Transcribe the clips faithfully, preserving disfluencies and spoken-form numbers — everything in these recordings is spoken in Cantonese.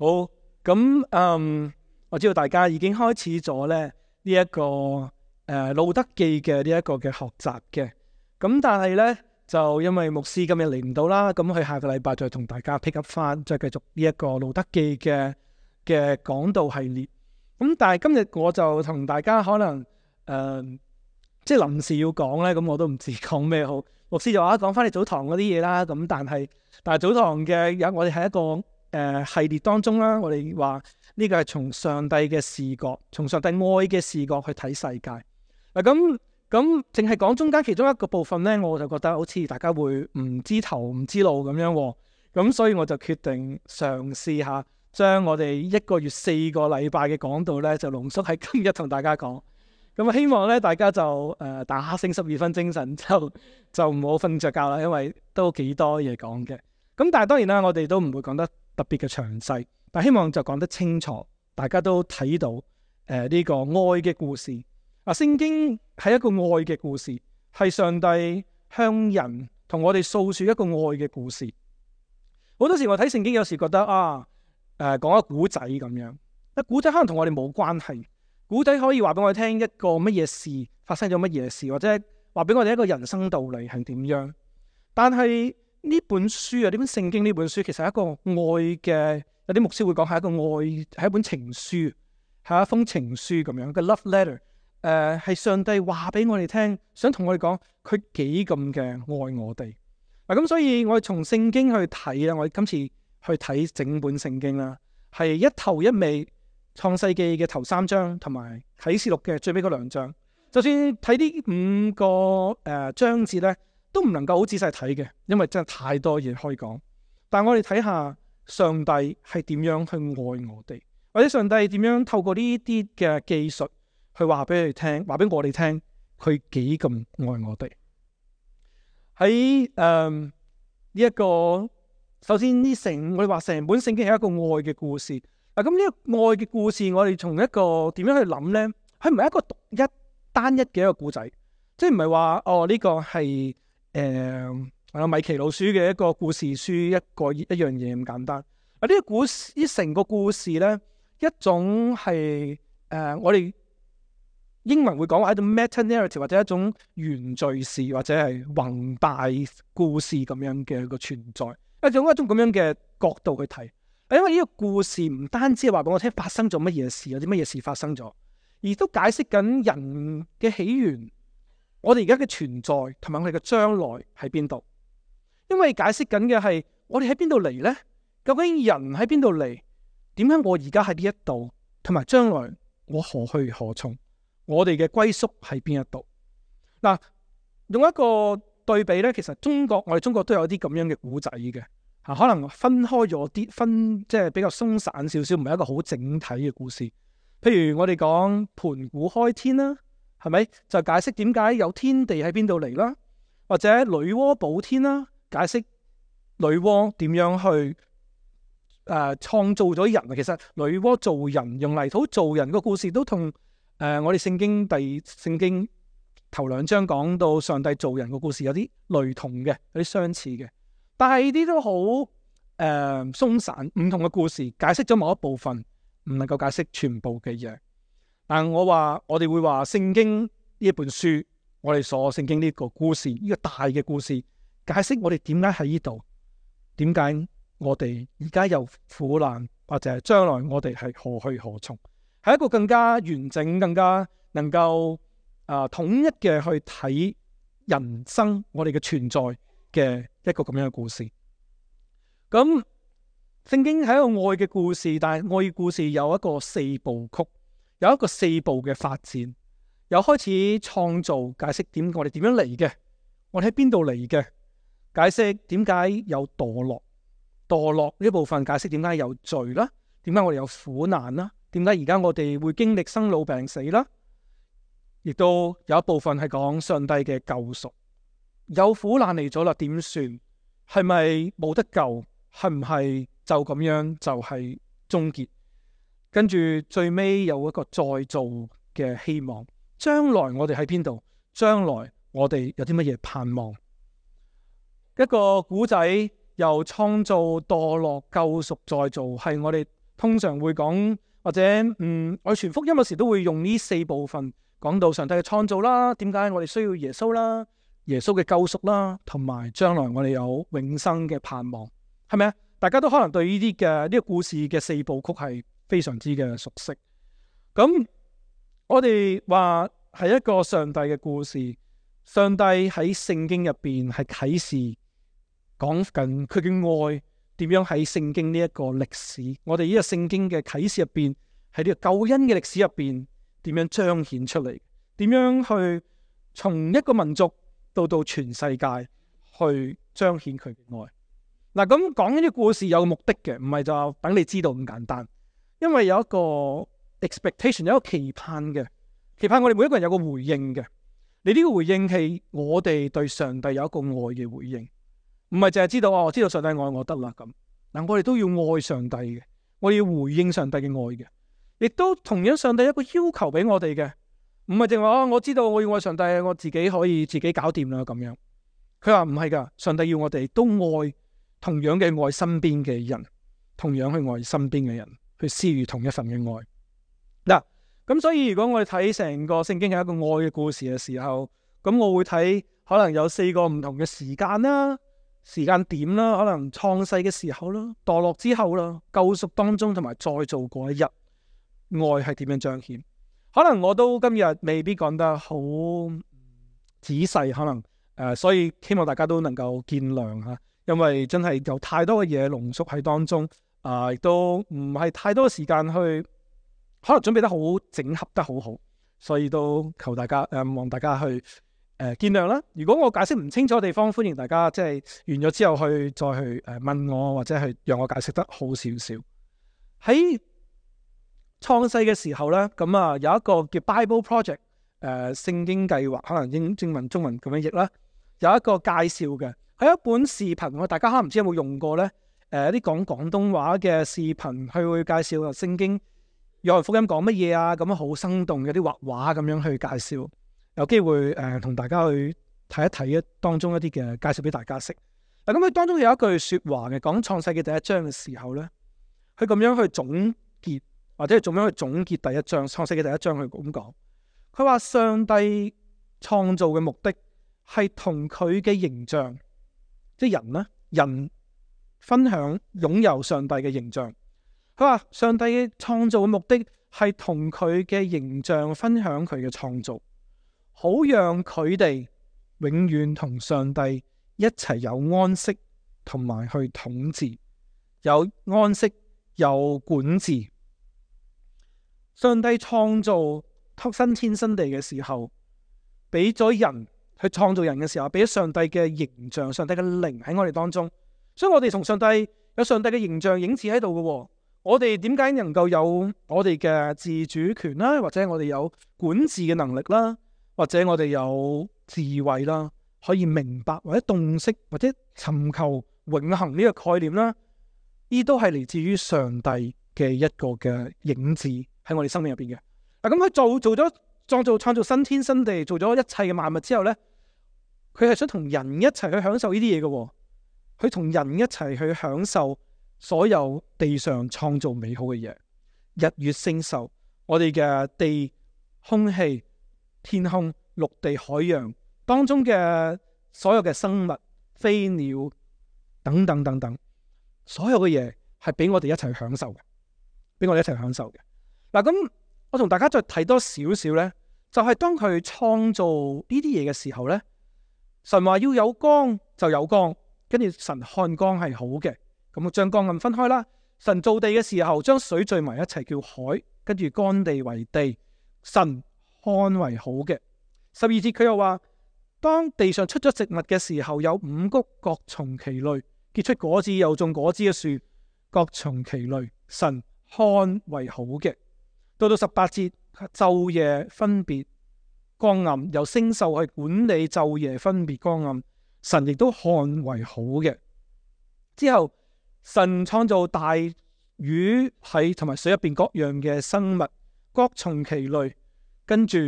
好，咁嗯，我知道大家已經開始咗咧呢一、這個誒、呃、路德記嘅呢一個嘅學習嘅，咁但係咧就因為牧師今日嚟唔到啦，咁佢下個禮拜再同大家 pick up 翻，再繼續呢一個路德記嘅嘅講道系列。咁但係今日我就同大家可能誒、呃、即係臨時要講咧，咁我都唔知講咩好。牧師就話講翻你早堂嗰啲嘢啦，咁但係但係早堂嘅有我哋係一個。誒、呃、系列當中啦，我哋話呢個係從上帝嘅視角，從上帝愛嘅視角去睇世界。嗱咁咁，淨係講中間其中一個部分咧，我就覺得好似大家會唔知頭唔知路咁樣喎。咁所以我就決定嘗試下將我哋一個月四個禮拜嘅講道咧，就濃縮喺今日同大家講。咁啊，希望咧大家就誒、呃、打醒十二分精神，就就唔好瞓着覺啦，因為都幾多嘢講嘅。咁但係當然啦，我哋都唔會講得特別嘅詳細，但希望就講得清楚，大家都睇到誒呢、呃這個愛嘅故事。啊，聖經係一個愛嘅故事，係上帝向人同我哋訴說一個愛嘅故事。好多時我睇聖經，有時覺得啊，誒、呃、講一個古仔咁樣，一古仔可能同我哋冇關係，古仔可以話俾我哋聽一個乜嘢事發生咗乜嘢事，或者話俾我哋一個人生道理係點樣。但係呢本書啊，呢本聖經呢本書其實係一個愛嘅，有啲牧師會講係一個愛，係一本情書，係一封情書咁樣嘅 love letter。誒、呃，係上帝話俾我哋聽，想同我哋講佢幾咁嘅愛我哋。嗱、啊、咁，所以我哋從聖經去睇啦，我哋今次去睇整本聖經啦，係一頭一尾，創世記嘅頭三章同埋啟示錄嘅最尾嗰兩章。就算睇呢五個誒、呃、章節咧，都唔能夠好仔細睇嘅，因為真係太多嘢可以講。但係我哋睇下上帝係點樣去愛我哋，或者上帝點樣透過呢啲嘅技術去話俾你聽，話俾我哋聽，佢幾咁愛我哋。喺誒呢一個，首先呢成我哋話成本聖經係一個愛嘅故事。嗱，咁呢個愛嘅故事，我哋從一個點樣去諗咧？佢唔係一個獨一單一嘅一個故仔，即係唔係話哦呢、這個係。誒，啊米奇老鼠嘅一個故事書，一個一樣嘢咁簡單。啊，呢個故事，呢成個故事咧，一種係誒、呃，我哋英文會講話一種 meta narrative，或者一種原敘事，或者係宏大故事咁樣嘅一個存在，一種一種咁樣嘅角度去睇。因為呢個故事唔單止係話俾我聽發生咗乜嘢事，有啲乜嘢事發生咗，而都解釋緊人嘅起源。我哋而家嘅存在同埋我哋嘅將來喺邊度？因為解釋緊嘅係我哋喺邊度嚟呢？究竟人喺邊度嚟？點解我而家喺呢一度？同埋將來我何去何從？我哋嘅歸宿喺邊一度？嗱，用一個對比呢，其實中國我哋中國都有啲咁樣嘅古仔嘅吓，可能分開咗啲，分即係比較鬆散少少，唔係一個好整體嘅故事。譬如我哋講盤古開天啦。係咪就解釋點解有天地喺邊度嚟啦？或者女媧補天啦，解釋女媧點樣去誒、呃、創造咗人啊？其實女媧造人，用泥土造人個故事都同誒、呃、我哋聖經第聖經頭兩章講到上帝造人個故事有啲雷同嘅，有啲相似嘅。但係呢啲都好誒鬆散，唔同嘅故事解釋咗某一部分，唔能夠解釋全部嘅嘢。但我話我哋會話聖經呢一本書，我哋所聖經呢個故事，呢個大嘅故事，解釋我哋點解喺呢度，點解我哋而家有苦難，或者係將來我哋係何去何從，係一個更加完整、更加能夠啊、呃、統一嘅去睇人生，我哋嘅存在嘅一個咁樣嘅故事。咁聖經係一個愛嘅故事，但係愛嘅故事有一個四部曲。有一個四步嘅發展，由開始創造，解釋點我哋點樣嚟嘅，我哋喺邊度嚟嘅，解釋點解有墮落，墮落呢部分解釋點解有罪啦，點解我哋有苦難啦，點解而家我哋會經歷生老病死啦，亦都有一部分係講上帝嘅救贖，有苦難嚟咗啦，點算？係咪冇得救？係唔係就咁樣就係終結？跟住最尾有一個再造嘅希望，將來我哋喺邊度？將來我哋有啲乜嘢盼望？一個古仔由創造、墮落、救贖、再造，係我哋通常會講或者嗯，我哋傳福音有時都會用呢四部分講到上帝嘅創造啦，點解我哋需要耶穌啦，耶穌嘅救贖啦，同埋將來我哋有永生嘅盼望，係咪啊？大家都可能對呢啲嘅呢個故事嘅四部曲係非常之嘅熟悉。咁我哋話係一個上帝嘅故事，上帝喺聖經入邊係啟示講緊佢嘅愛點樣喺聖經呢一個歷史，我哋呢個聖經嘅啟示入邊，喺呢個救恩嘅歷史入邊點樣彰顯出嚟，點樣去從一個民族到到全世界去彰顯佢嘅愛。嗱，咁講呢啲故事有目的嘅，唔係就等你知道咁簡單，因為有一個 expectation， 有一個期盼嘅，期盼我哋每一個人有個回應嘅。你呢個回應係我哋對上帝有一個愛嘅回應，唔係淨係知道哦，我知道上帝愛我得啦咁。嗱，我哋都要愛上帝嘅，我哋要回應上帝嘅愛嘅，亦都同樣上帝有一個要求俾我哋嘅，唔係淨話哦，我知道我要愛上帝，我自己可以自己搞掂啦咁樣。佢話唔係噶，上帝要我哋都愛。同樣嘅愛身邊嘅人，同樣去愛身邊嘅人，去施予同一份嘅愛。嗱，咁所以如果我哋睇成個聖經係一個愛嘅故事嘅時候，咁我會睇可能有四個唔同嘅時間啦、時間點啦，可能創世嘅時候啦、墮落之後啦、救贖當中同埋再造嗰一日，愛係點樣彰顯？可能我都今日未必講得好仔細，可能誒、呃，所以希望大家都能夠見諒吓。因為真係有太多嘅嘢濃縮喺當中，啊、呃，亦都唔係太多時間去，可能準備得好整合得好好，所以都求大家誒、呃，望大家去誒、呃、見諒啦。如果我解釋唔清楚嘅地方，歡迎大家即係完咗之後去再去誒問我，或者係讓我解釋得好少少。喺創世嘅時候咧，咁啊有一個叫 Bible Project 誒、呃、聖經計劃，可能英英文中文咁樣譯啦，有一個介紹嘅。喺一本視頻，我大家可能唔知有冇用過呢？誒、呃，一啲講廣東話嘅視頻，佢會介紹啊聖經約翰福音講乜嘢啊，咁樣好生動，有啲畫畫咁樣去介紹。有機會誒，同、呃、大家去睇一睇一當中一啲嘅介紹俾大家識。嗱，咁佢當中有一句說話嘅，講創世嘅第一章嘅時候呢，佢咁樣去總結，或者係咁樣去總結第一章創世嘅第一章，佢咁講，佢話上帝創造嘅目的係同佢嘅形象。即係人呢，人分享擁有上帝嘅形象。佢話上帝嘅創造嘅目的係同佢嘅形象分享佢嘅創造，好讓佢哋永遠同上帝一齊有安息，同埋去統治，有安息有管治。上帝創造新天新地嘅時候，俾咗人。去創造人嘅時候，俾咗上帝嘅形象、上帝嘅靈喺我哋當中，所以我哋同上帝有上帝嘅形象影子喺度嘅。我哋點解能夠有我哋嘅自主權啦，或者我哋有管治嘅能力啦，或者我哋有智慧啦，可以明白或者洞悉或者尋求永恆呢個概念啦？呢都係嚟自於上帝嘅一個嘅影子喺我哋生命入邊嘅。嗱，咁佢做做咗創造創造新天新地，做咗一切嘅萬物之後呢，佢係想同人一齊去享受呢啲嘢嘅，佢同人一齊去享受所有地上創造美好嘅嘢，日月星宿，我哋嘅地、空氣、天空、陸地、海洋當中嘅所有嘅生物、飛鳥等等等等，所有嘅嘢係俾我哋一齊享受嘅，俾我哋一齊享受嘅。嗱，咁我同大家再睇多少少呢，就係、是、當佢創造呢啲嘢嘅時候呢。神話要有光就有光，跟住神看光係好嘅，咁將光暗分開啦。神造地嘅時候，將水聚埋一齊叫海，跟住乾地為地，神看為好嘅。十二節佢又話，當地上出咗植物嘅時候，有五穀各從其類，結出果子又種果子嘅樹，各從其類，神看為好嘅。到到十八節，晝夜分別光暗，由星宿去管理晝夜分別光暗，神亦都看為好嘅。之後神創造大魚喺同埋水入邊各樣嘅生物，各從其類，跟住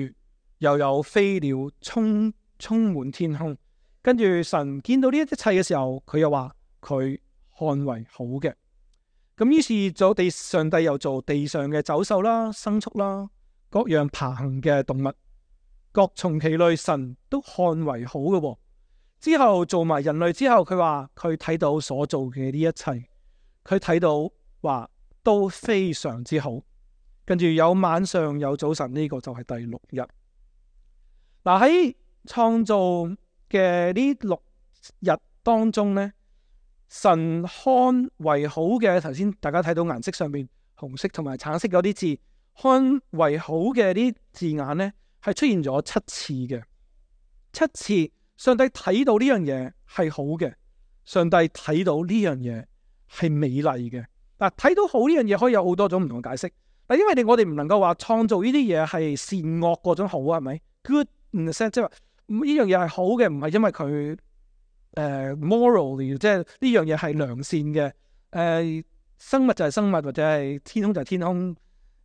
又有飛鳥充充滿天空，跟住神見到呢一切嘅時候，佢又話佢看為好嘅。咁於是做地上帝又做地上嘅走獸啦、牲畜啦、各樣爬行嘅動物，各從其類，神都看為好嘅、哦。之後做埋人類之後，佢話佢睇到所做嘅呢一切，佢睇到話都非常之好。跟住有晚上有早晨，呢、這個就係第六日。嗱，喺創造嘅呢六日當中呢，神看為好嘅，頭先大家睇到顏色上面紅色同埋橙色嗰啲字，看為好嘅啲字眼呢，係出現咗七次嘅。七次上帝睇到呢樣嘢係好嘅，上帝睇到呢樣嘢係美麗嘅。嗱，睇到好呢樣嘢可以有好多種唔同嘅解釋。嗱，因為你我哋唔能夠話創造呢啲嘢係善惡嗰種好啊，係咪 ？Good in the sense，即係話呢樣嘢係好嘅，唔係因為佢。誒、uh, morally 即係呢樣嘢係良善嘅，誒、uh, 生物就係生物，或者係天空就係天空，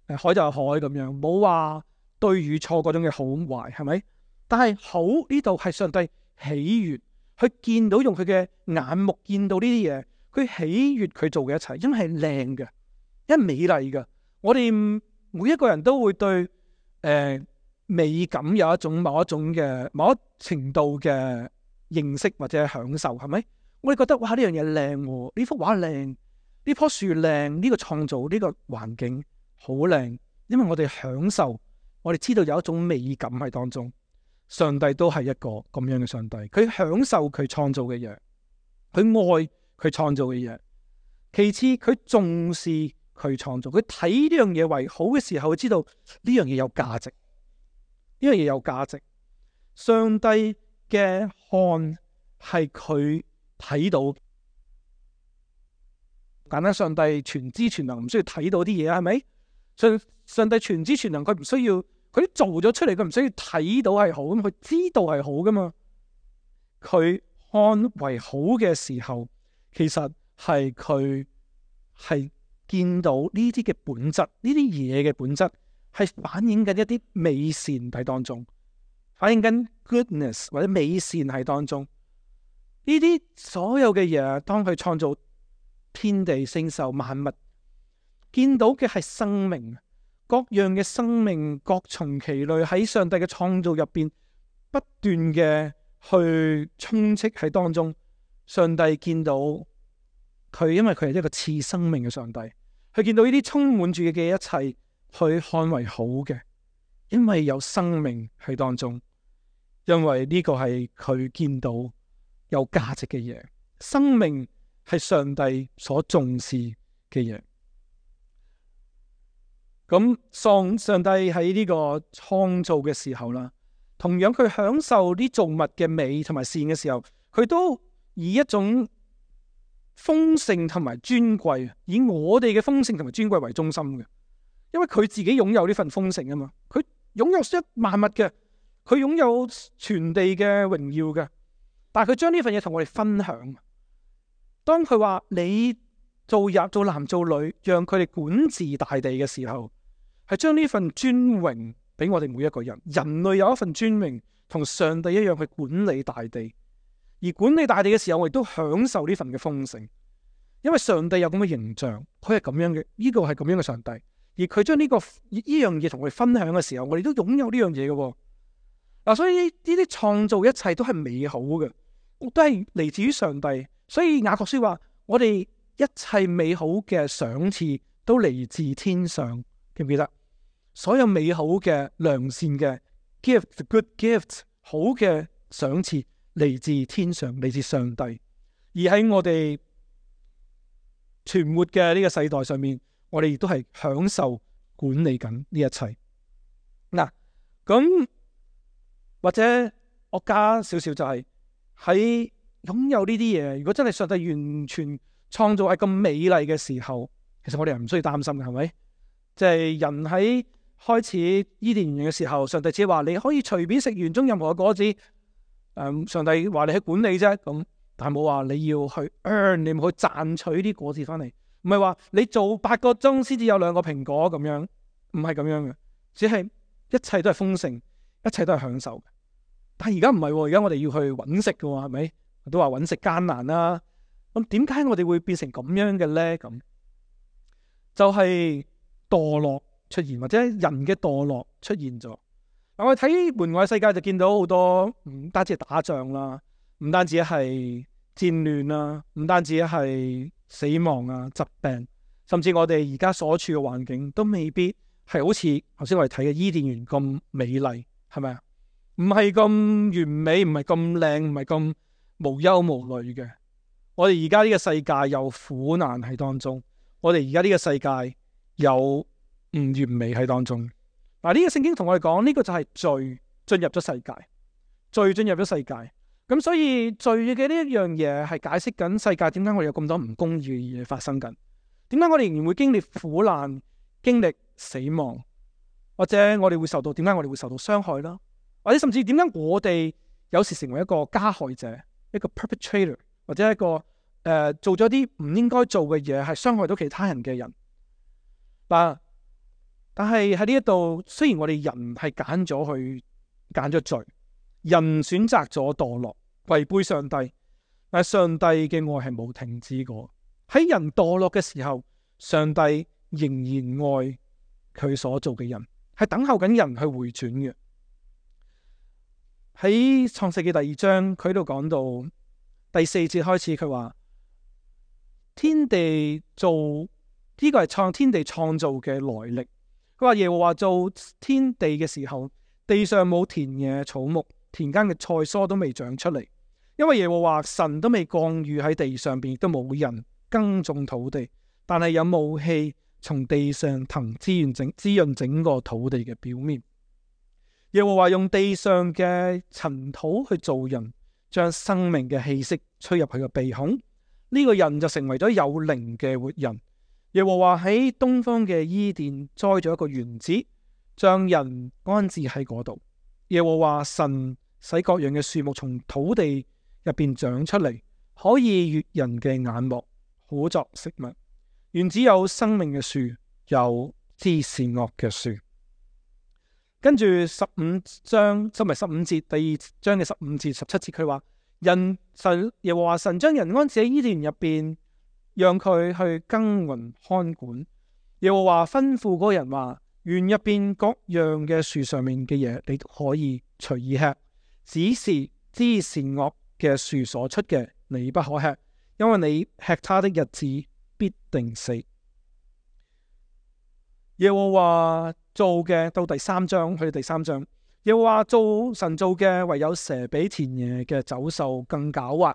誒海就係海咁樣，冇話對與錯嗰種嘅好壞，係咪？但係好呢度係上帝喜悅，佢見到用佢嘅眼目見到呢啲嘢，佢喜悅佢做嘅一切，因為係靚嘅，因為美麗嘅。我哋每一個人都會對誒、呃、美感有一種某一種嘅某一程度嘅認識或者享受，係咪？我哋覺得哇，呢樣嘢靚，呢幅畫靚，呢棵樹靚，呢個創造呢個環境好靚，因為我哋享受，我哋知道有一種美感喺當中。上帝都係一個咁樣嘅上帝，佢享受佢創造嘅嘢，佢愛佢創造嘅嘢。其次，佢重視佢創造，佢睇呢樣嘢為好嘅時候，佢知道呢樣嘢有價值，呢樣嘢有價值。上帝嘅看係佢睇到，簡單，上帝全知全能，唔需要睇到啲嘢，係咪？上上帝全知全能，佢唔需要，佢做咗出嚟，佢唔需要睇到係好，咁佢知道係好噶嘛？佢看為好嘅時候，其實係佢係見到呢啲嘅本質，呢啲嘢嘅本質係反映緊一啲美善喺當中。反映緊 goodness 或者美善喺當中，呢啲所有嘅嘢，當佢創造天地星獸萬物，見到嘅係生命，各樣嘅生命各從其類喺上帝嘅創造入邊不斷嘅去充斥喺當中。上帝見到佢，因為佢係一個賜生命嘅上帝，佢見到呢啲充滿住嘅一切，佢看為好嘅，因為有生命喺當中。因為呢個係佢見到有價值嘅嘢，生命係上帝所重視嘅嘢。咁上上帝喺呢個創造嘅時候啦，同樣佢享受啲造物嘅美同埋善嘅時候，佢都以一種豐盛同埋尊貴，以我哋嘅豐盛同埋尊貴為中心嘅。因為佢自己擁有呢份豐盛啊嘛，佢擁有一萬物嘅。佢擁有全地嘅榮耀嘅，但係佢將呢份嘢同我哋分享。當佢話你做入做男做女，讓佢哋管治大地嘅時候，係將呢份尊榮俾我哋每一個人。人類有一份尊榮，同上帝一樣去管理大地。而管理大地嘅時候，我哋都享受呢份嘅豐盛，因為上帝有咁嘅形象，佢係咁樣嘅，呢個係咁樣嘅上帝。而佢將呢個呢樣嘢同我哋分享嘅時候，我哋都擁有呢樣嘢嘅。嗱，所以呢啲創造一切都係美好嘅，都係嚟自於上帝。所以雅各書話：我哋一切美好嘅賞賜都嚟自天上，記唔記得？所有美好嘅良善嘅 gift，good gift， 好嘅賞賜嚟自天上，嚟自上帝。而喺我哋存活嘅呢個世代上面，我哋亦都係享受管理緊呢一切。嗱，咁。或者我加少少就係喺擁有呢啲嘢，如果真係上帝完全創造係咁美麗嘅時候，其實我哋係唔需要擔心嘅，係咪？即係人喺開始伊甸園嘅時候，上帝只係話你可以隨便食園中任何嘅果子。誒、嗯，上帝話你去管理啫，咁但係冇話你要去 earn， 你唔去賺取啲果子翻嚟，唔係話你做八個鐘先至有兩個蘋果咁樣，唔係咁樣嘅，只係一切都係豐盛。一切都係享受，但係而家唔係，而家我哋要去揾食嘅，係咪？都話揾食艱難啦。咁點解我哋會變成咁樣嘅咧？咁就係墮落出現，或者人嘅墮落出現咗。嗱，我哋睇門外世界就見到好多唔單止係打仗啦，唔單止係戰亂啦，唔單止係死亡啊、疾病，甚至我哋而家所處嘅環境都未必係好似頭先我哋睇嘅伊甸園咁美麗，係咪啊？唔係咁完美，唔係咁靚，唔係咁無憂無慮嘅。我哋而家呢個世界有苦難喺當中，我哋而家呢個世界有唔完美喺當中。嗱，呢個聖經同我哋講，呢個就係罪進入咗世界，罪進入咗世界。咁所以罪嘅呢一樣嘢係解釋緊世界點解我哋有咁多唔公義嘅嘢發生緊，點解我哋仍然會經歷苦難、經歷死亡，或者我哋會受到點解我哋會受到傷害啦，或者甚至點解我哋有時成為一個加害者，一個 perpetrator， 或者一個誒、呃、做咗啲唔應該做嘅嘢，係傷害到其他人嘅人。嗱，但係喺呢一度，雖然我哋人係揀咗去揀咗罪，人選擇咗墮落，違背上帝，但係上帝嘅愛係冇停止過。喺人墮落嘅時候，上帝仍然愛佢所做嘅人，係等候緊人去回轉嘅。喺創世記第二章，佢喺度講到第四節開始，佢話天地造呢個係創天地創造嘅來歷。佢話耶和華造天地嘅時候，地上冇田野草木，田間嘅菜蔬都未長出嚟，因為耶和華神都未降雨喺地上邊，亦都冇人耕種土地，但係有霧氣從地上騰滋潤整滋潤整個土地嘅表面。耶和華用地上嘅塵土去造人，將生命嘅氣息吹入佢嘅鼻孔，呢、這個人就成為咗有靈嘅活人。耶和華喺東方嘅伊甸栽咗一個園子，將人安置喺嗰度。耶和華神使各樣嘅樹木從土地入邊長出嚟，可以悅人嘅眼目，好作食物。園子有生命嘅樹，有知善惡嘅樹。跟住十五章，即係十五節，第二章嘅十五至十七節，佢話人神耶和華神將人安置喺伊甸園入邊，讓佢去耕耘看管。耶和華吩咐嗰個人話：園入邊各樣嘅樹上面嘅嘢，你都可以隨意吃，只是知善惡嘅樹所出嘅，你不可吃，因為你吃它的日子必定死。耶和華做嘅到第三章，去到第三章，耶和華做神做嘅，唯有蛇比田野嘅走獸更狡猾。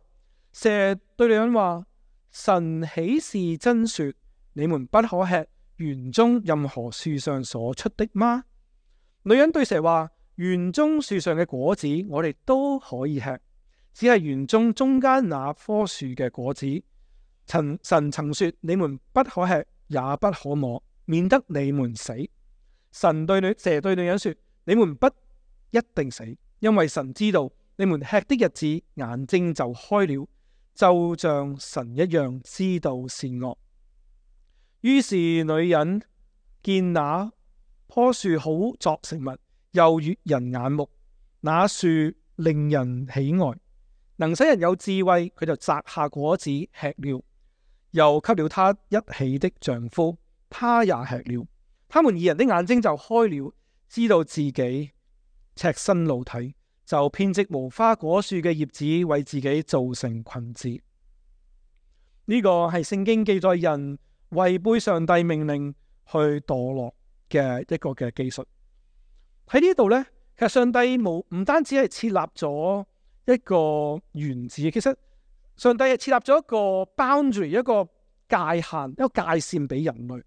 蛇對女人話：神豈是真說你們不可吃園中任何樹上所出的嗎？女人對蛇話：園中樹上嘅果子我哋都可以吃，只係園中中間那棵樹嘅果子，神神曾說你們不可吃，也不可摸，免得你們死。神對女蛇對女人說：你們不一定死，因為神知道你們吃的日子，眼睛就開了，就像神一樣知道善惡。於是女人見那棵樹好作食物，又悅人眼目，那樹令人喜愛，能使人有智慧，佢就摘下果子吃了，又給了他一起的丈夫，他也吃了。他們二人的眼睛就開了，知道自己赤身露體，就編織無花果樹嘅葉子，為自己做成裙子。呢、這個係聖經記載人違背上帝命令去墮落嘅一個嘅記述。喺呢度呢，其實上帝冇唔單止係設立咗一個園子，其實上帝係設立咗一個 boundary， 一個界限，一個界線俾人類。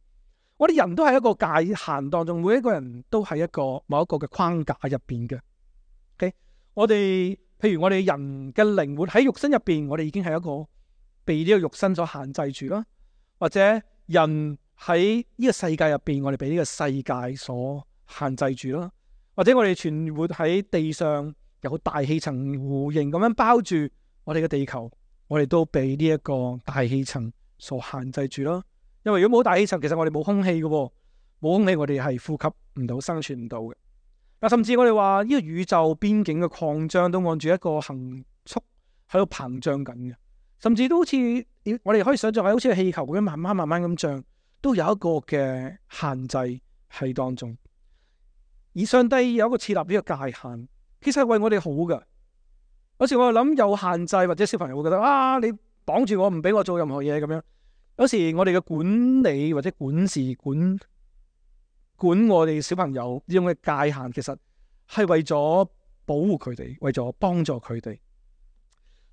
我哋人都喺一個界限當中，每一個人都喺一個某一個嘅框架入邊嘅。Okay? 我哋譬如我哋人嘅靈活喺肉身入邊，我哋已經係一個被呢個肉身所限制住啦。或者人喺呢個世界入邊，我哋被呢個世界所限制住啦。或者我哋存活喺地上，有大氣層弧形咁樣包住我哋嘅地球，我哋都被呢一個大氣層所限制住啦。因為如果冇大氣層，其實我哋冇空氣嘅，冇空氣我哋係呼吸唔到、生存唔到嘅。嗱，甚至我哋話呢個宇宙邊境嘅擴張都按住一個恒速喺度膨脹緊嘅，甚至都好似我哋可以想象係好似個氣球咁樣慢慢慢慢咁脹。都有一個嘅限制喺當中。而上帝有一個設立呢個界限，其實係為我哋好㗎。有時我哋諗有限制，或者小朋友會覺得啊，你綁住我唔俾我做任何嘢咁樣。有時我哋嘅管理或者管事管管我哋小朋友呢種嘅界限，其實係為咗保護佢哋，為咗幫助佢哋。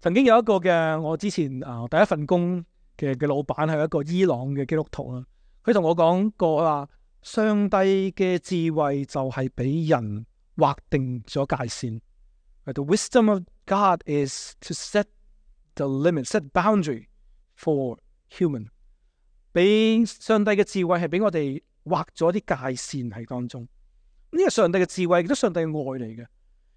曾經有一個嘅我之前啊、呃、第一份工嘅嘅老闆係一個伊朗嘅基督徒啦，佢同我講過話，上帝嘅智慧就係俾人劃定咗界線。The wisdom of God is to set the limit, set boundary for human。俾上帝嘅智慧係俾我哋劃咗啲界線喺當中。呢個上帝嘅智慧亦都上帝嘅愛嚟嘅。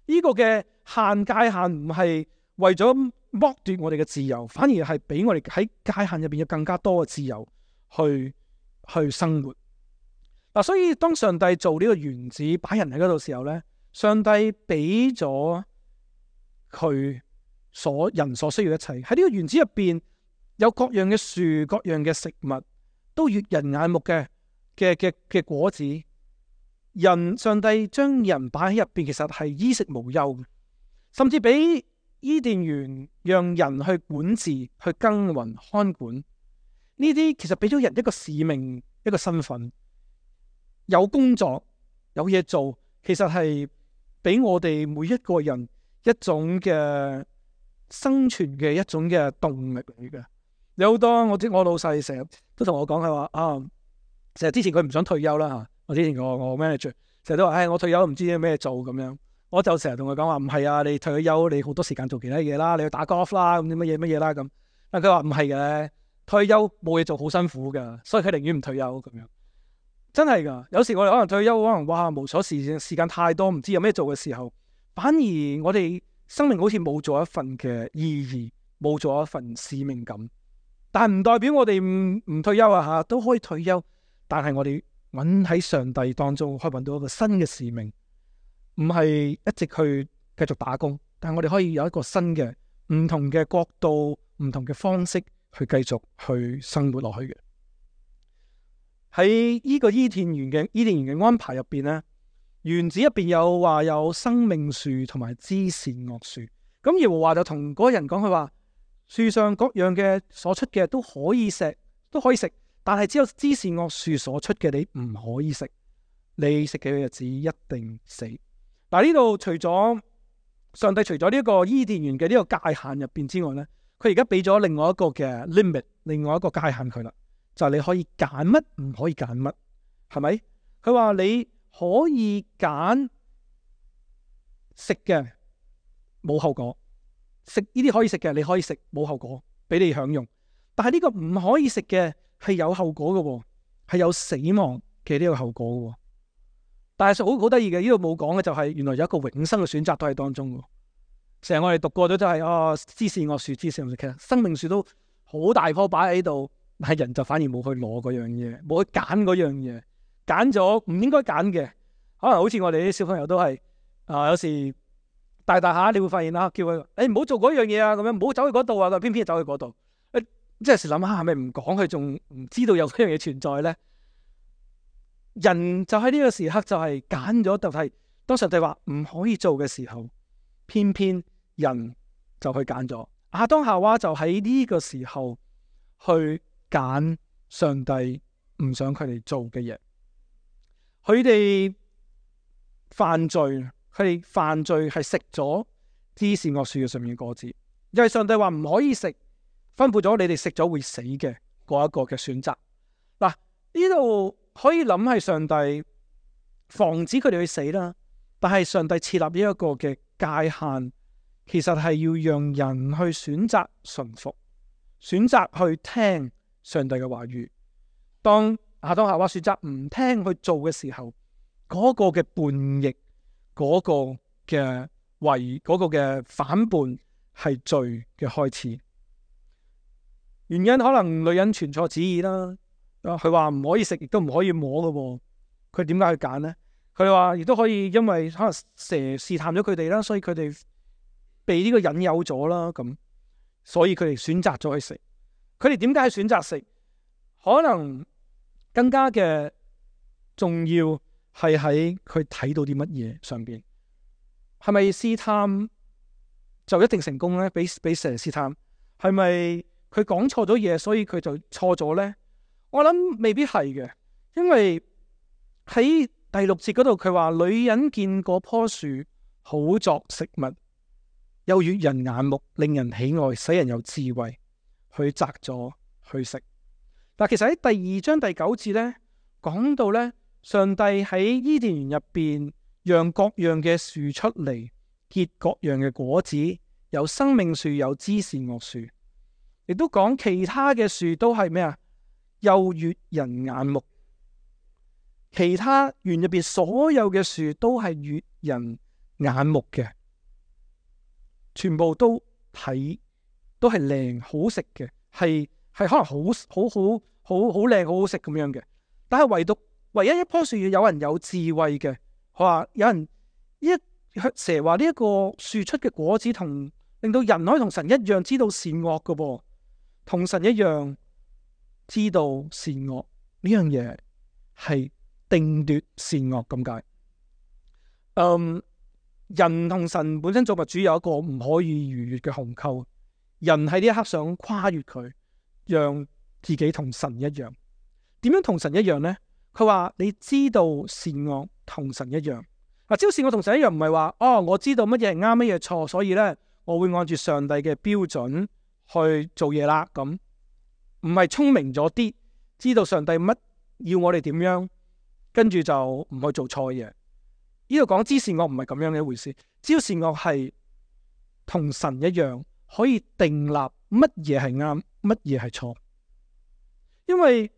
呢個嘅限界限唔係為咗剝奪我哋嘅自由，反而係俾我哋喺界限入邊有更加多嘅自由去去生活。嗱，所以當上帝做呢個園子擺人喺嗰度時候咧，上帝俾咗佢所人所需要一切喺呢個園子入邊，有各樣嘅樹、各樣嘅食物，都悅人眼目嘅嘅嘅嘅果子。人上帝將人擺喺入邊，其實係衣食無憂，甚至俾伊甸園讓人去管治、去耕耘、看管呢啲，其實俾咗人一個使命、一個身份，有工作、有嘢做，其實係俾我哋每一個人一種嘅生存嘅一種嘅動力嚟嘅。有好多我知我老細成日都同我講，係話啊，成日之前佢唔想退休啦吓。我之前我我 manager 成日都話，唉、哎，我退休唔知有咩做咁樣。我就成日同佢講話，唔係啊，你退咗休，你好多時間做其他嘢啦，你去打 golf 啦，咁啲乜嘢乜嘢啦咁。但佢話唔係嘅，退休冇嘢做好辛苦噶，所以佢寧願唔退休咁樣。真係噶，有時我哋可能退休，可能哇無所事事，時間太多，唔知有咩做嘅時候，反而我哋生命好似冇咗一份嘅意義，冇咗一份使命感。但係唔代表我哋唔唔退休啊吓，都可以退休。但係我哋揾喺上帝當中，可以揾到一個新嘅使命，唔係一直去繼續打工，但係我哋可以有一個新嘅、唔同嘅角度、唔同嘅方式去繼續去生活落去嘅。喺呢個伊甸園嘅伊甸園嘅安排入邊咧，園子入邊有話有生命樹同埋知善惡樹。咁耶和華就同嗰個人講，佢話樹上各樣嘅所出嘅都可以食，都可以食。但係只有知善惡樹所出嘅，你唔可以食。你食嘅日子一定死。嗱，呢度除咗上帝除咗呢一個伊甸園嘅呢個界限入邊之外咧，佢而家俾咗另外一個嘅 limit， 另外一個界限佢啦，就係、是、你可以揀乜，唔可以揀乜，係咪？佢話你可以揀食嘅冇後果，食呢啲可以食嘅你可以食冇後果，俾你享用。但係呢個唔可以食嘅，係有後果嘅，係有死亡嘅呢個後果嘅。但係好好得意嘅，呢度冇講嘅就係原來有一個永生嘅選擇都喺當中嘅。成日我哋讀過咗就係、是、哦，知善惡樹，知善惡樹，其實生命樹都好大棵擺喺度，但係人就反而冇去攞嗰樣嘢，冇去揀嗰樣嘢，揀咗唔應該揀嘅。可能好似我哋啲小朋友都係啊、呃，有時大大下你會發現啦，叫佢誒唔好做嗰樣嘢啊，咁樣唔好走去嗰度啊，佢偏偏走去嗰度。誒，即係時諗下，係咪唔講佢仲唔知道有嗰樣嘢存在咧？人就喺呢個時刻就係揀咗，就係當上帝話唔可以做嘅時候，偏偏人就去揀咗。亞當夏娃就喺呢個時候去揀上帝唔想佢哋做嘅嘢。佢哋犯罪，佢哋犯罪係食咗知善惡樹嘅上面嘅果子，因為上帝話唔可以食，吩咐咗你哋食咗會死嘅嗰一個嘅選擇。嗱，呢度可以諗係上帝防止佢哋去死啦，但係上帝設立呢一個嘅界限，其實係要讓人去選擇順服，選擇去聽上帝嘅話語。當亞當夏娃選擇唔聽去做嘅時候，嗰個嘅叛逆，嗰個嘅違，嗰個嘅反叛係罪嘅開始。原因可能女人傳錯旨意啦。佢話唔可以食，亦都唔可以摸嘅。佢點解去揀呢？佢話亦都可以，因為可能蛇試探咗佢哋啦，所以佢哋被呢個引誘咗啦。咁所以佢哋選擇咗去食。佢哋點解去選擇食？可能更加嘅重要係喺佢睇到啲乜嘢上邊。係咪試探就一定成功呢？俾俾蛇試探，係咪佢講錯咗嘢，所以佢就錯咗呢？我諗未必係嘅，因為喺第六節嗰度佢話，女人見嗰棵樹好作食物，又悅人眼目，令人喜愛，使人有智慧，去摘咗去食。但其實喺第二章第九節呢，講到呢，上帝喺伊甸園入邊讓各樣嘅樹出嚟，結各樣嘅果子，有生命樹，有知善惡樹，亦都講其他嘅樹都係咩啊？又悅人眼目。其他園入邊所有嘅樹都係悅人眼目嘅，全部都睇都係靚好食嘅，係係可能好好好好好靚好好食咁樣嘅。但係唯獨唯一一棵樹有人有智慧嘅，佢話有人一蛇話呢一個樹出嘅果子同令到人可以同神一樣知道善惡嘅噃，同神一樣知道善惡呢樣嘢係定奪善惡咁解。嗯，人同神本身造物主有一個唔可以逾越嘅鴻溝，人喺呢一刻想跨越佢，讓自己同神一樣。點樣同神一樣呢？佢話你知道善惡同神一樣。嗱，知道善惡同神一樣唔係話哦，我知道乜嘢係啱，乜嘢係錯，所以呢，我會按住上帝嘅標準去做嘢啦。咁唔係聰明咗啲，知道上帝乜要我哋點樣，跟住就唔去做錯嘢。呢度講知善惡唔係咁樣嘅一回事，知道善惡係同神一樣，可以定立乜嘢係啱，乜嘢係錯。因為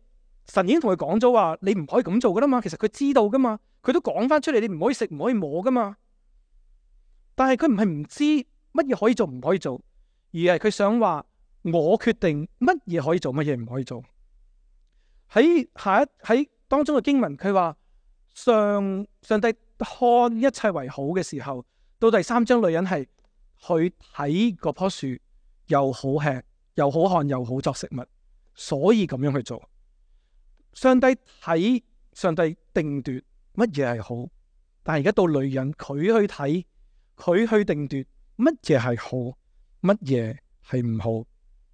神已經同佢講咗話，你唔可以咁做噶啦嘛。其實佢知道噶嘛，佢都講翻出嚟，你唔可以食，唔可以摸噶嘛。但係佢唔係唔知乜嘢可以做，唔可以做，而係佢想話我決定乜嘢可以做，乜嘢唔可以做。喺下一喺當中嘅經文，佢話上上帝看一切為好嘅時候，到第三章女人係去睇嗰棵樹，又好吃，又好看，又好作食物，所以咁樣去做。上帝睇，上帝定奪乜嘢係好，但係而家到女人，佢去睇，佢去定奪乜嘢係好，乜嘢係唔好。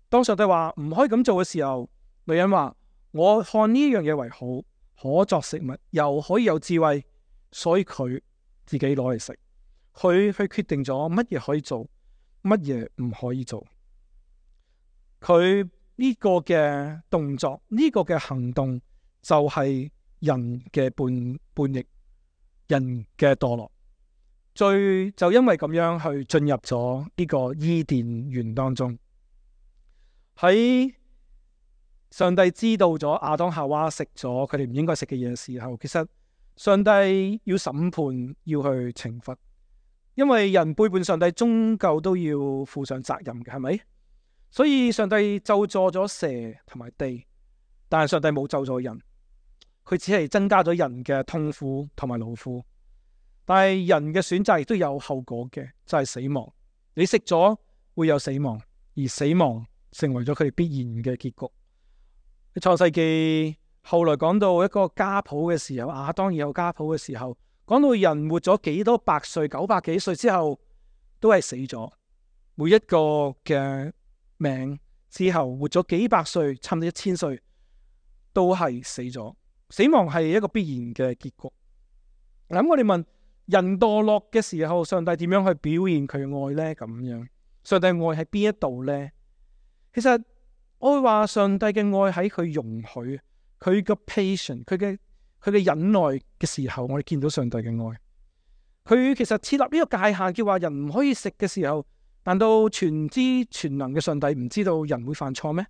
當上帝話唔可以咁做嘅時候，女人話我看呢樣嘢為好，可作食物，又可以有智慧，所以佢自己攞嚟食。佢去決定咗乜嘢可以做，乜嘢唔可以做。佢呢個嘅動作，呢個嘅行動，就係人嘅叛叛逆，人嘅墮落，最就因為咁樣去進入咗呢個伊甸園當中。喺上帝知道咗亞當夏娃食咗佢哋唔應該食嘅嘢嘅時候，其實上帝要審判，要去懲罰，因為人背叛上帝，終究都要負上責任嘅，係咪？所以上帝咒詛咗蛇同埋地，但係上帝冇咒詛人，佢只係增加咗人嘅痛苦同埋勞苦。但係人嘅選擇亦都有後果嘅，就係死亡。你食咗會有死亡，而死亡成為咗佢哋必然嘅結局。創世記後來講到一個家譜嘅時候，亞當有家譜嘅時候，講到人活咗幾多百歲，九百幾歲之後都係死咗。每一個嘅命之後活咗幾百歲，差唔多一千歲，都係死咗。死亡係一個必然嘅結局。咁我哋問，人墮落嘅時候，上帝點樣去表現佢嘅愛呢？咁樣，上帝愛喺邊一度呢？其實我會話，上帝嘅愛喺佢容許，佢嘅 patience，佢嘅佢嘅忍耐嘅時候，我哋見到上帝嘅愛。佢其實設立呢個界限，叫話人唔可以食嘅時候，難道全知全能嘅上帝唔知道人會犯錯咩？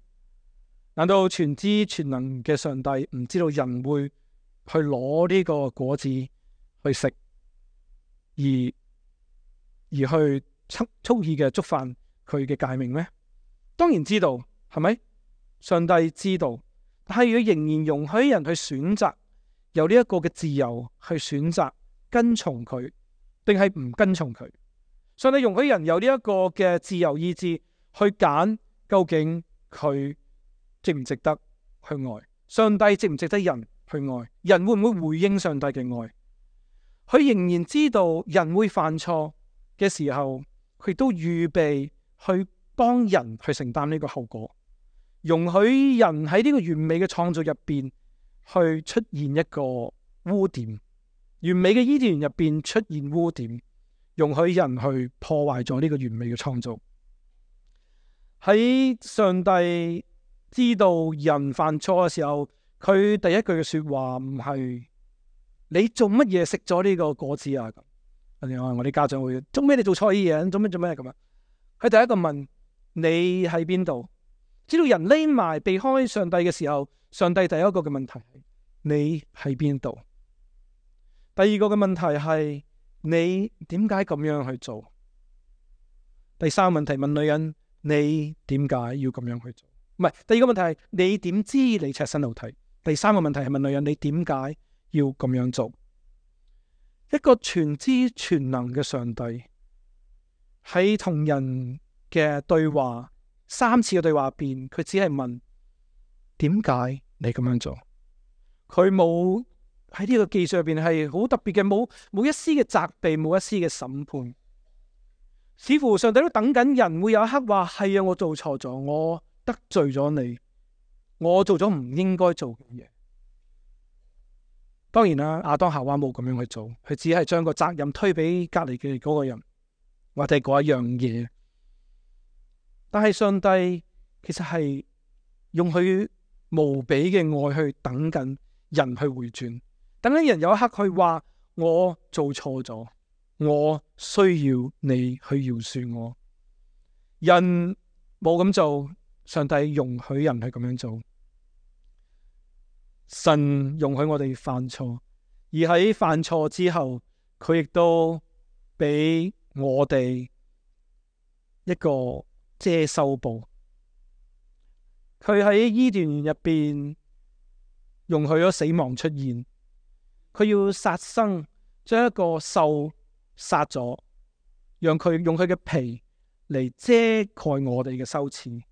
難道全知全能嘅上帝唔知道人會去攞呢個果子去食，而而去蓄蓄意嘅觸犯佢嘅誡命咩？當然知道，係咪？上帝知道，但係佢仍然容許人去選擇，有呢一個嘅自由去選擇跟從佢，定係唔跟從佢。上帝容許人有呢一個嘅自由意志去揀，究竟佢值唔值得去愛？上帝值唔值得人去愛？人會唔會回應上帝嘅愛？佢仍然知道人會犯錯嘅時候，佢都預備去幫人去承擔呢個後果，容許人喺呢個完美嘅創造入邊去出現一個污點，完美嘅伊甸園入邊出現污點，容許人去破壞咗呢個完美嘅創造。喺上帝知道人犯錯嘅時候，佢第一句嘅說話唔係你做乜嘢食咗呢個果子啊？咁我啲家長會做咩？你做錯嘢，做咩做咩咁啊？佢第一個問你喺邊度？知道人匿埋避開上帝嘅時候，上帝第一個嘅問題係你喺邊度？第二個嘅問題係你點解咁樣去做？第三個問題問女人你點解要咁樣去做？唔係，第二個問題係你點知你赤身露體？第三個問題係問女人你點解要咁樣做？一個全知全能嘅上帝喺同人嘅對話，三次嘅對話入邊，佢只係問點解你咁樣做？佢冇喺呢個記述入邊係好特別嘅，冇冇一絲嘅責備，冇一絲嘅審判。似乎上帝都等緊人會有一刻話係啊，我做錯咗，我得罪咗你，我做咗唔應該做嘅嘢。當然啦，亞當夏娃冇咁樣去做，佢只係將個責任推俾隔籬嘅嗰個人或者嗰一樣嘢。但係上帝其實係用佢無比嘅愛去等緊人去回轉，等緊人有一刻去話我做錯咗，我需要你去饒恕我。人冇咁做，上帝容許人去咁樣做。神容許我哋犯錯，而喺犯錯之後，佢亦都俾我哋一個遮羞布。佢喺伊甸園入邊容許咗死亡出現，佢要殺生，將一個獸殺咗，讓佢用佢嘅皮嚟遮蓋我哋嘅羞恥。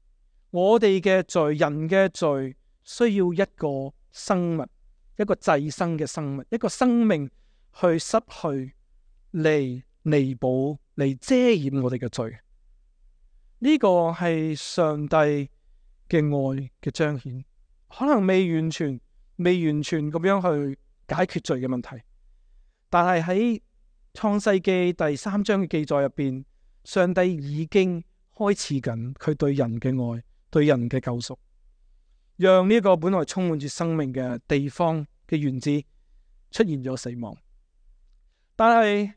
我哋嘅罪，人嘅罪，需要一個生物，一個祭牲嘅生物，一個生命去失去嚟彌補，嚟遮掩我哋嘅罪。呢個係上帝嘅愛嘅彰顯，可能未完全、未完全咁樣去解決罪嘅問題，但係喺創世記第三章嘅記載入邊，上帝已經開始緊佢對人嘅愛，對人嘅救贖。讓呢個本來充滿住生命嘅地方嘅園子出現咗死亡，但係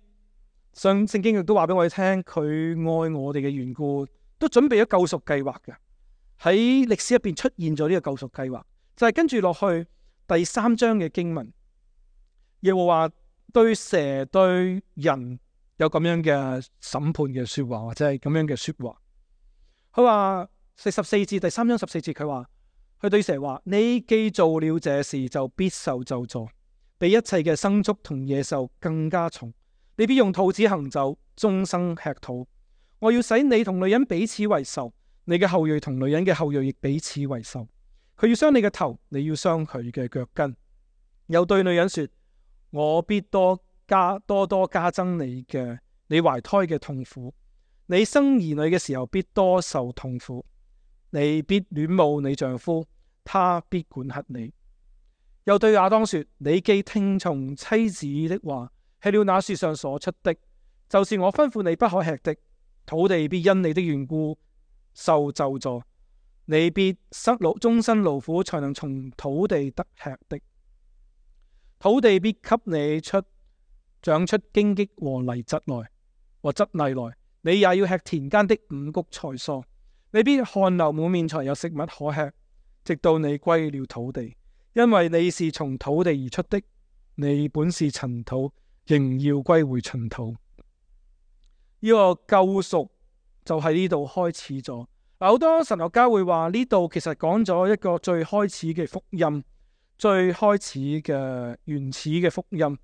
上聖經亦都話俾我哋聽，佢愛我哋嘅緣故，都準備咗救贖計劃嘅。喺歷史入邊出現咗呢個救贖計劃，就係跟住落去第三章嘅經文，耶和華對蛇對人有咁樣嘅審判嘅說話，或者係咁樣嘅說話。佢話第十四節，第三章十四節，佢話。佢對蛇話：你既做了這事，就必受咒詛，比一切嘅牲畜同野獸更加重。你必用肚子行走，終生吃土。我要使你同女人彼此為仇，你嘅後裔同女人嘅後裔亦彼此為仇。佢要傷你嘅頭，你要傷佢嘅腳跟。又對女人說：我必多加多多加增你嘅你懷胎嘅痛苦，你生兒女嘅時候必多受痛苦。你必戀慕你丈夫，他必管轄你。又對亞當說：你既聽從妻子的話，吃了那樹上所出的，就是我吩咐你不可吃的，土地必因你的緣故受咒詛，你必生勞終身勞苦，才能從土地得吃的。土地必給你出長出荊棘和泥蒺來，和蒺藜來，你也要吃田間的五穀菜蔬。你必汗流滿面，才有食物可吃，直到你歸了土地，因為你是從土地而出的，你本是塵土，仍要歸回塵土。呢個救贖就喺呢度開始咗。好多神學家會話呢度其實講咗一個最開始嘅福音，最開始嘅原始嘅福音。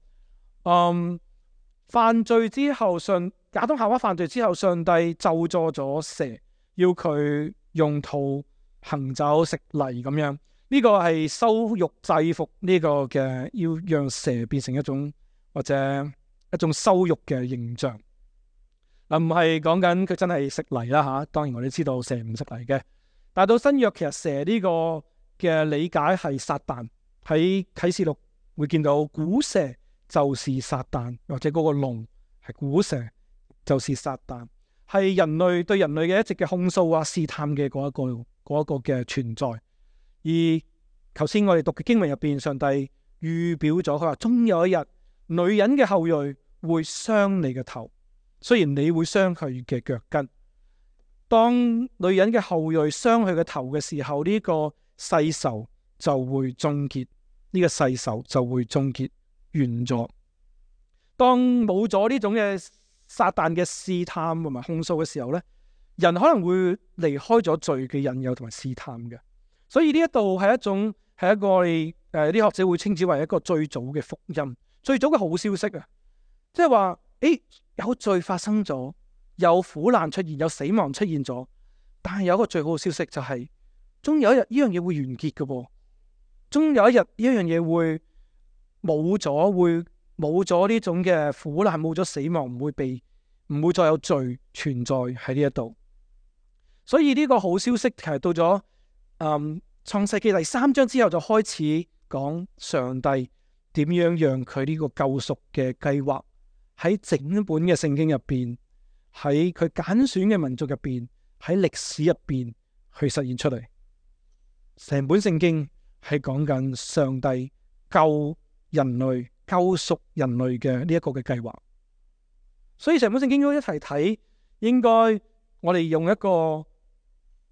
嗯，犯罪之後，上亞當夏娃犯罪之後，上帝咒詛咗蛇。要佢用土行走食泥咁樣，呢呢個係羞辱制服呢個嘅，要讓蛇變成一種或者一種羞辱嘅形象。嗱，唔係講緊佢真係食泥啦吓，當然我哋知道蛇唔食泥嘅。但係到新約，其實蛇呢個嘅理解係撒旦。喺啟示錄會見到古蛇就是撒旦，或者嗰個龍係古蛇就是撒旦，係人類對人類嘅一直嘅控訴啊、試探嘅嗰一個嗰一個嘅存在。而頭先我哋讀嘅經文入邊，上帝預表咗佢話，終有一日女人嘅後裔會傷你嘅頭，雖然你會傷佢嘅腳跟。當女人嘅後裔傷佢嘅頭嘅時候，呢個世仇就會終結，呢個世仇就會終結完咗。當冇咗呢種嘅撒旦嘅試探同埋控訴嘅時候呢，人可能會離開咗罪嘅引誘同埋試探嘅。所以呢一度係一種係一個我哋誒啲學者會稱之為一個最早嘅福音，最早嘅好消息啊！即係話，誒有罪發生咗，有苦難出現，有死亡出現咗，但係有一個最好嘅消息就係，終有一日呢樣嘢會完結嘅噃，終有一日呢一樣嘢會冇咗，會冇咗呢種嘅苦難，冇咗死亡，唔會被唔會再有罪存在喺呢一度。所以呢個好消息其實到咗嗯創世記第三章之後，就開始講上帝點樣讓佢呢個救贖嘅計劃喺整本嘅聖經入邊，喺佢揀選嘅民族入邊，喺歷史入邊去實現出嚟。成本聖經係講緊上帝救人類、救贖人類嘅呢一個嘅計劃。所以成本聖經都一齊睇，應該我哋用一個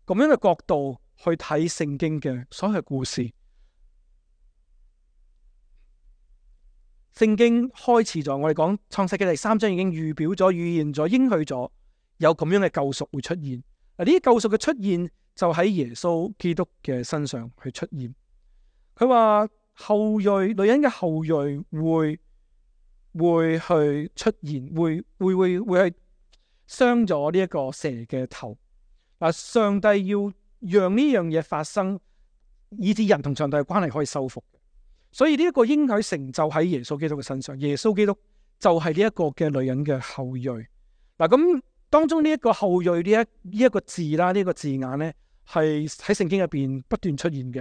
咁樣嘅角度去睇聖經嘅所有嘅故事。聖經開始咗，我哋講創世記第三章已經預表咗、預言咗、應許咗有咁樣嘅救贖會出現。嗱，呢啲救贖嘅出現就喺耶穌基督嘅身上去出現。佢話後裔女人嘅後裔會會去出現，會會會會係傷咗呢一個蛇嘅頭。嗱，上帝要讓呢樣嘢發生，以致人同上帝嘅關係可以修復。所以呢一個應許成就喺耶穌基督嘅身上，耶穌基督就係呢一個嘅女人嘅後裔。嗱，咁當中呢一個後裔呢一呢一個字啦，呢、這個字眼咧係喺聖經入邊不斷出現嘅。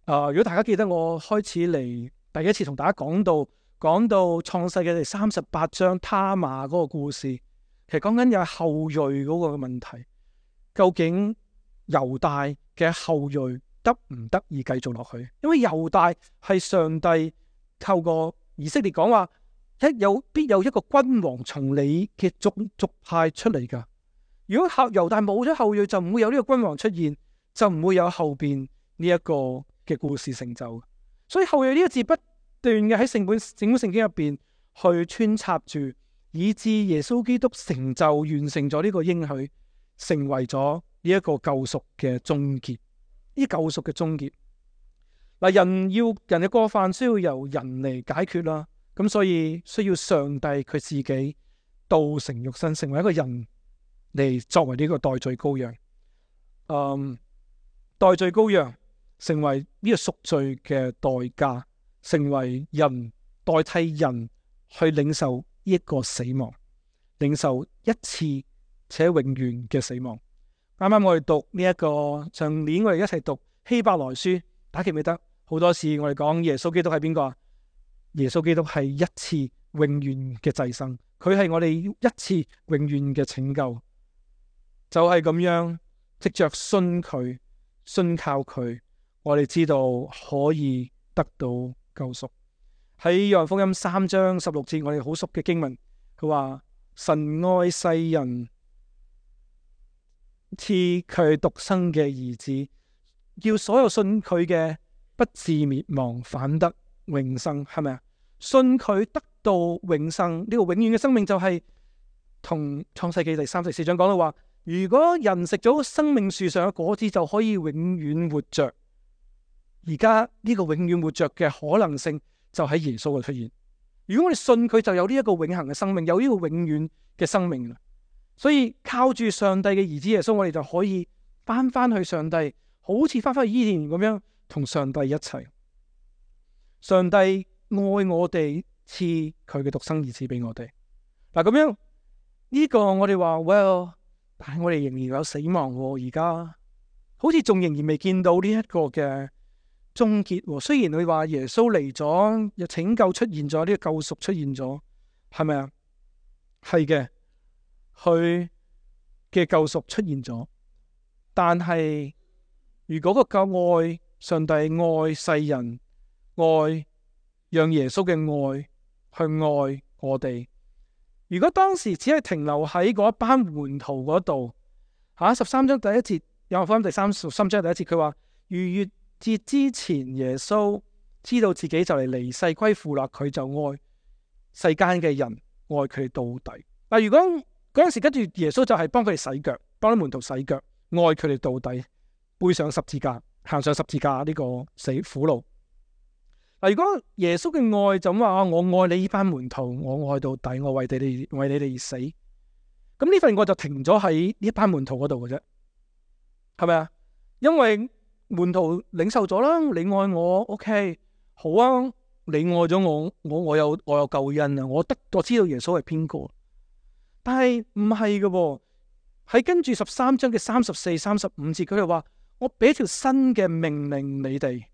啊、呃，如果大家記得我開始嚟第一次同大家講到講到創世嘅第三十八章他瑪嗰個故事，其實講緊有後裔嗰個問題，究竟猶大嘅後裔得唔得以繼續落去？因為猶大係上帝透過以色列講話，一有必有一個君王從你嘅族族派出嚟噶。如果後猶大冇咗後裔，就唔會有呢個君王出現，就唔會有後邊呢一個嘅故事成就。所以後裔呢個字不斷嘅喺聖本整本聖經入邊去穿插住，以致耶穌基督成就完成咗呢個應許，成為咗呢一個救贖嘅終結。呢救贖嘅終結，嗱，人要人嘅過犯需要由人嚟解決啦，咁所以需要上帝佢自己道成肉身，成為一個人嚟作為呢個代罪羔羊。嗯，代罪羔羊成為呢個贖罪嘅代價，成為人代替人去領受呢一個死亡，領受一次且永遠嘅死亡。啱啱我哋讀呢、這、一個上年我哋一齊讀希伯來書，大家記唔記得？好多次我哋講耶穌基督係邊個啊？耶穌基督係一次永遠嘅祭牲，佢係我哋一次永遠嘅拯救，就係、是、咁樣，藉着信佢、信靠佢，我哋知道可以得到救贖。喺約翰福音三章十六節，我哋好熟嘅經文，佢話神愛世人，賜佢獨生嘅兒子，叫所有信佢嘅不至滅亡，反得永生，係咪啊？信佢得到永生，呢、這個永遠嘅生命就係同創世記第三十四章講到話，如果人食咗生命樹上嘅果子，就可以永遠活着。而家呢個永遠活着嘅可能性就喺耶穌嘅出現。如果我哋信佢，就有呢一個永恆嘅生命，有呢個永遠嘅生命啦。所以靠住上帝嘅兒子耶穌，我哋就可以翻翻去上帝，好似翻翻去伊甸咁樣，同上帝一齊。上帝愛我哋，賜佢嘅獨生兒子俾我哋。嗱，咁樣呢個我哋話 well， 但係我哋仍然有死亡喎。而家好似仲仍然未見到呢一個嘅終結喎。雖然佢話耶穌嚟咗，又拯救出現咗，呢個救贖出現咗，係咪啊？係嘅，佢嘅救贖出現咗，但係如果個救愛上帝愛世人，愛讓耶穌嘅愛去愛我哋。如果當時只係停留喺嗰一班門徒嗰度，吓十三章第一節，約翰福音第三十三章第一節，佢話逾越節之前，耶穌知道自己就嚟離世歸父啦，佢就愛世間嘅人，愛佢哋到底。嗱，如果嗰陣時跟住耶穌就係幫佢哋洗腳，幫啲門徒洗腳，愛佢哋到底，背上十字架，行上十字架呢個死苦路。嗱，如果耶穌嘅愛就咁話，我愛你呢班門徒，我愛到底，我為你哋為你哋而死，咁呢份愛就停咗喺呢一班門徒嗰度嘅啫，係咪啊？因為門徒領受咗啦，你愛我 ，OK， 好啊，你愛咗我，我我有我有救恩啊，我得我知道耶穌係邊個，但係唔係嘅喎，喺跟住十三章嘅三十四、三十五節，佢哋話我俾條新嘅命令你哋。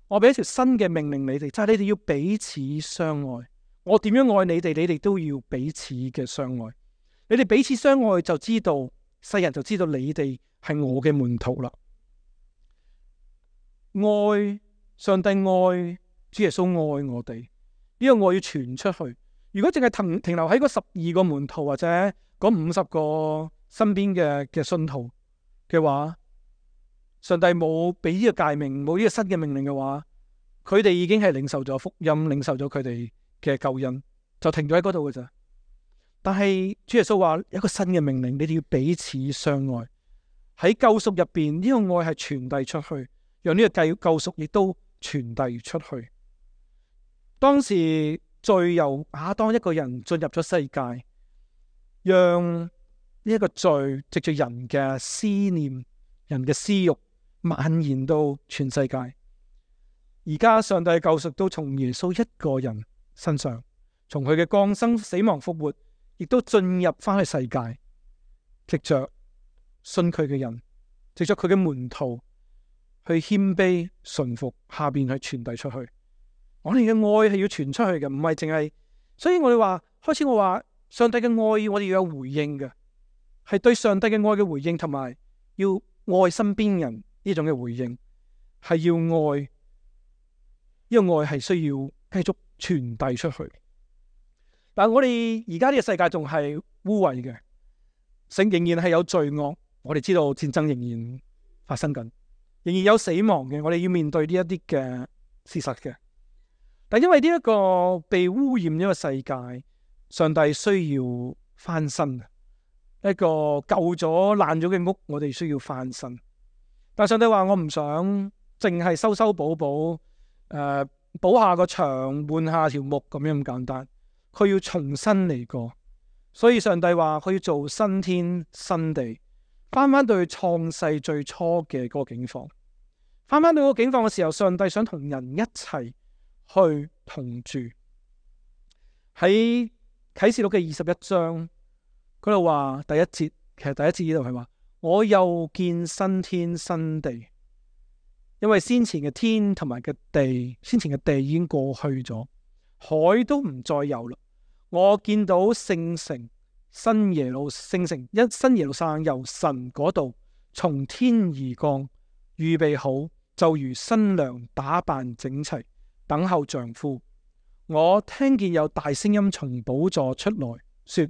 我俾一條新嘅命令你哋，就係、是、你哋要彼此相愛。我點樣愛你哋，你哋都要彼此嘅相愛。你哋彼此相愛，就知道世人就知道你哋係我嘅門徒啦。愛上帝，愛主耶穌，愛我哋，呢、這個愛要傳出去。如果淨係停停留喺嗰十二個門徒或者嗰五十個身邊嘅嘅信徒嘅話，上帝冇俾呢個誡命，冇呢個新嘅命令嘅話，佢哋已經係領受咗福音，領受咗佢哋嘅救恩，就停咗喺嗰度嘅咋。但係主耶穌話一個新嘅命令，你哋要彼此相愛。喺救贖入邊，呢個愛係傳遞出去，讓呢個救救贖亦都傳遞出去。當時罪由亞當一個人進入咗世界，讓呢一個罪藉住人嘅思念、人嘅私欲蔓延到全世界。而家上帝嘅救贖都從耶穌一個人身上，從佢嘅降生、死亡、復活，亦都進入翻去世界，藉着信佢嘅人，藉着佢嘅門徒去謙卑順服，下邊去傳遞出去。我哋嘅愛係要傳出去嘅，唔係淨係。所以我哋話開始，我話上帝嘅愛，我哋要有回應嘅，係對上帝嘅愛嘅回應，同埋要愛身邊人。呢種嘅回應係要愛，呢個愛係需要繼續傳遞出去。但係我哋而家呢個世界仲係污穢嘅，聖仍然係有罪惡。我哋知道戰爭仍然發生緊，仍然有死亡嘅。我哋要面對呢一啲嘅事實嘅。但因為呢一個被污染呢個世界，上帝需要翻身，一個舊咗爛咗嘅屋，我哋需要翻身。但上帝話我唔想淨係修修補補，誒、呃、補下個牆，換下條木咁樣咁簡單。佢要重新嚟過，所以上帝話佢要做新天新地，翻翻到去創世最初嘅嗰個境況。翻翻到嗰個境況嘅時候，上帝想同人一齊去同住。喺啟示錄嘅二十一章嗰度話第一節，其實第一節呢度係話。我又見新天新地，因為先前嘅天同埋嘅地，先前嘅地已經過去咗，海都唔再有啦。我見到聖城新耶路聖城一新耶路撒冷由神嗰度從天而降，預備好，就如新娘打扮整齊，等候丈夫。我聽見有大聲音從寶座出來，說：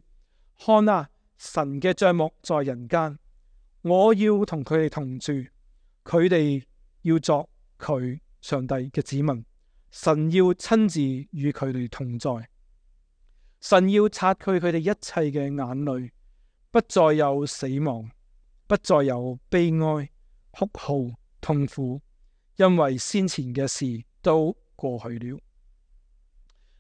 看啊，神嘅帳幕在人間。我要同佢哋同住，佢哋要作佢上帝嘅子民，神要親自與佢哋同在，神要擦去佢哋一切嘅眼淚，不再有死亡，不再有悲哀、哭號、痛苦，因為先前嘅事都過去了。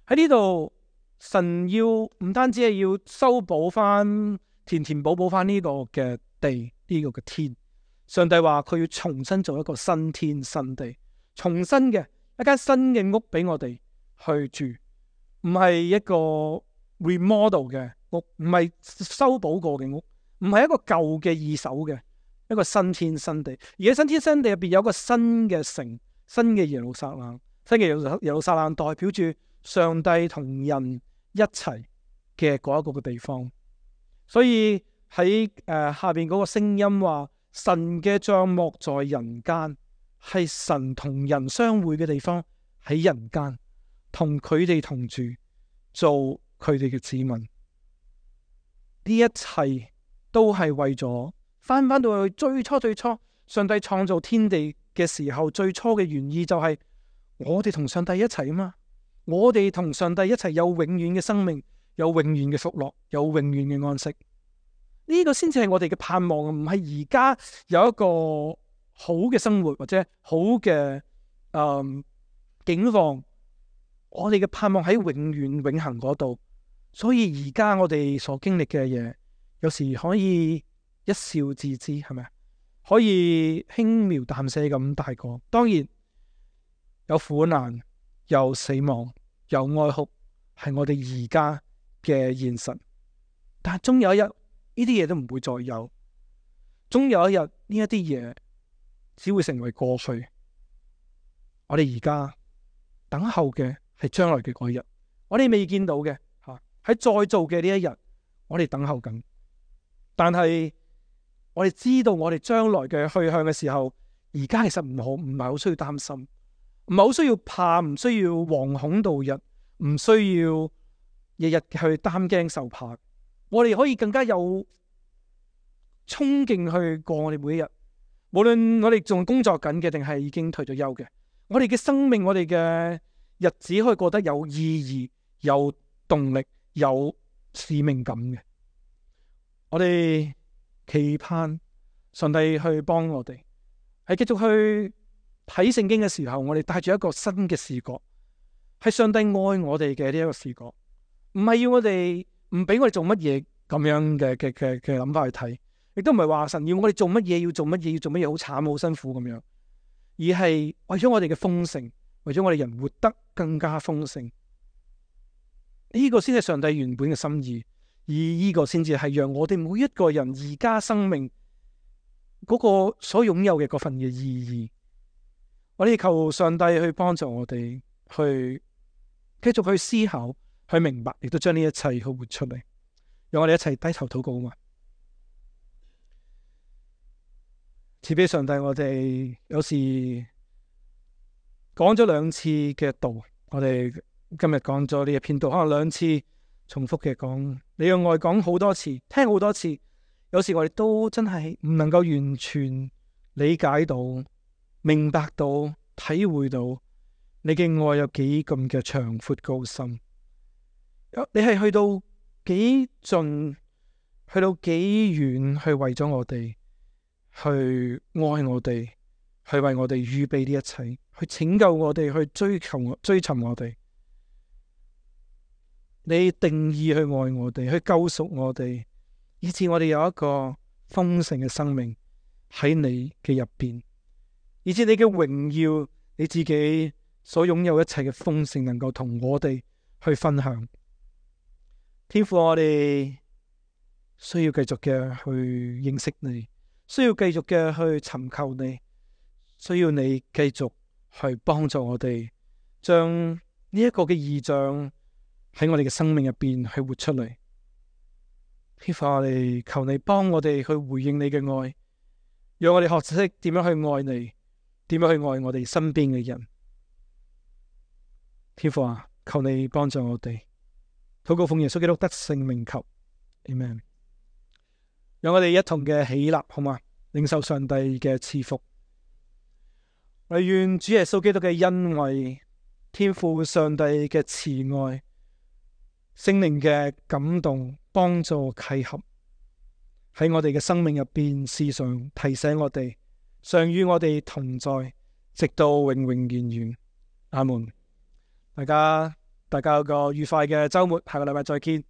喺呢度，神要唔單止係要修補翻、填填補補翻呢個嘅地。呢個嘅天，上帝話佢要重新做一個新天新地，重新嘅一間新嘅屋俾我哋去住，唔係一個 remodel 嘅屋，唔係修補過嘅屋，唔係一個舊嘅二手嘅，一個新天新地。而喺新天新地入邊有一個新嘅城，新嘅耶路撒冷，新嘅耶路耶路撒冷代表住上帝同人一齊嘅嗰一個嘅地方。所以喺誒、呃、下邊嗰個聲音話，神嘅帳幕在人間，係神同人相會嘅地方，喺人間同佢哋同住，做佢哋嘅子民。呢一切都係為咗翻翻到去最初最初，上帝創造天地嘅時候，最初嘅原意就係我哋同上帝一齊啊嘛，我哋同上帝一齊有永遠嘅生命，有永遠嘅福樂，有永遠嘅安息。呢個先至係我哋嘅盼望，唔係而家有一個好嘅生活或者好嘅誒境況。我哋嘅盼望喺永遠永恆嗰度，所以而家我哋所經歷嘅嘢，有時可以一笑置之，係咪？可以輕描淡寫咁大過。當然有苦難，有死亡，有哀哭，係我哋而家嘅現實。但係終有一日，呢啲嘢都唔會再有。終有一日，呢一啲嘢只會成為過去。我哋而家等候嘅係將來嘅嗰一日，我哋未見到嘅吓，喺再做嘅呢一日，我哋等候緊。但係我哋知道我哋將來嘅去向嘅時候，而家其實唔好，唔係好需要擔心，唔係好需要怕，唔需要惶恐度日，唔需要日日去擔驚受怕。我哋可以更加有衝勁去過我哋每一日，無論我哋仲工作緊嘅，定係已經退咗休嘅，我哋嘅生命，我哋嘅日子可以過得有意義、有動力、有使命感嘅。我哋期盼上帝去幫我哋，係繼續去睇聖經嘅時候，我哋帶住一個新嘅視覺，係上帝愛我哋嘅呢一個視覺，唔係要我哋唔俾我哋做乜嘢咁樣嘅嘅嘅嘅諗法去睇，亦都唔係話神要我哋做乜嘢要做乜嘢要做乜嘢好慘好辛苦咁樣，而係為咗我哋嘅豐盛，為咗我哋人活得更加豐盛，呢個先係上帝原本嘅心意，而呢個先至係讓我哋每一個人而家生命嗰個所擁有嘅嗰份嘅意義。我哋求上帝去幫助我哋去繼續去思考，去明白，亦都將呢一切去活出嚟。讓我哋一齊低頭禱告啊嘛！賜俾上帝，我哋有時講咗兩次嘅道，我哋今日講咗呢一篇道，可能兩次重複嘅講，你用愛講好多次，聽好多次，有時我哋都真係唔能夠完全理解到、明白到、體會到你嘅愛有幾咁嘅長闊高深。你係去到幾盡，去到幾遠，去為咗我哋，去愛我哋，去為我哋預備呢一切，去拯救我哋，去追求追尋我哋。你定義去愛我哋，去救贖我哋，以致我哋有一個豐盛嘅生命喺你嘅入邊，以致你嘅榮耀，你自己所擁有一切嘅豐盛，能夠同我哋去分享。天父，我哋需要繼續嘅去認識你，需要繼續嘅去尋求你，需要你繼續去幫助我哋，將呢一個嘅異象喺我哋嘅生命入邊去活出嚟。天父，我哋求你幫我哋去回應你嘅愛，讓我哋學識點樣去愛你，點樣去愛我哋身邊嘅人。天父啊，求你幫助我哋。禱告奉耶穌基督得勝名求，Amen。讓我哋一同嘅起立，好嘛？領受上帝嘅賜福。我哋願主耶穌基督嘅恩惠、天父上帝嘅慈愛、聖靈嘅感動、幫助、契合，喺我哋嘅生命入邊時常提醒我哋，常與我哋同在，直到永永遠遠。阿門。大家。大家有個愉快嘅週末，下個禮拜再見。